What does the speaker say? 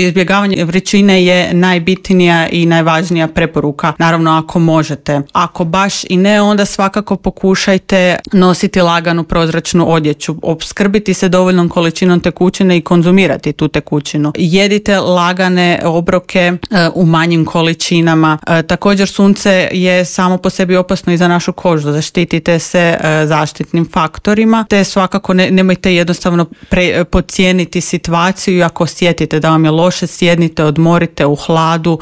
Izbjegavanje vrućine je najbitnija i najvažnija preporuka, naravno ako možete. Ako baš i ne, onda svakako pokušajte nositi laganu prozračnu odjeću, opskrbiti se dovoljnom količinom tekućine i konzumirati tu tekućinu. Jedite lagane obroke u manjim količinama. Također sunce je samo po sebi opasno i za našu kožu, zaštitite se zaštitnim faktorima, te svakako nemojte jednostavno podcijeniti situaciju. Ako osjetite da vam je loše, sjednite, odmorite u hladu,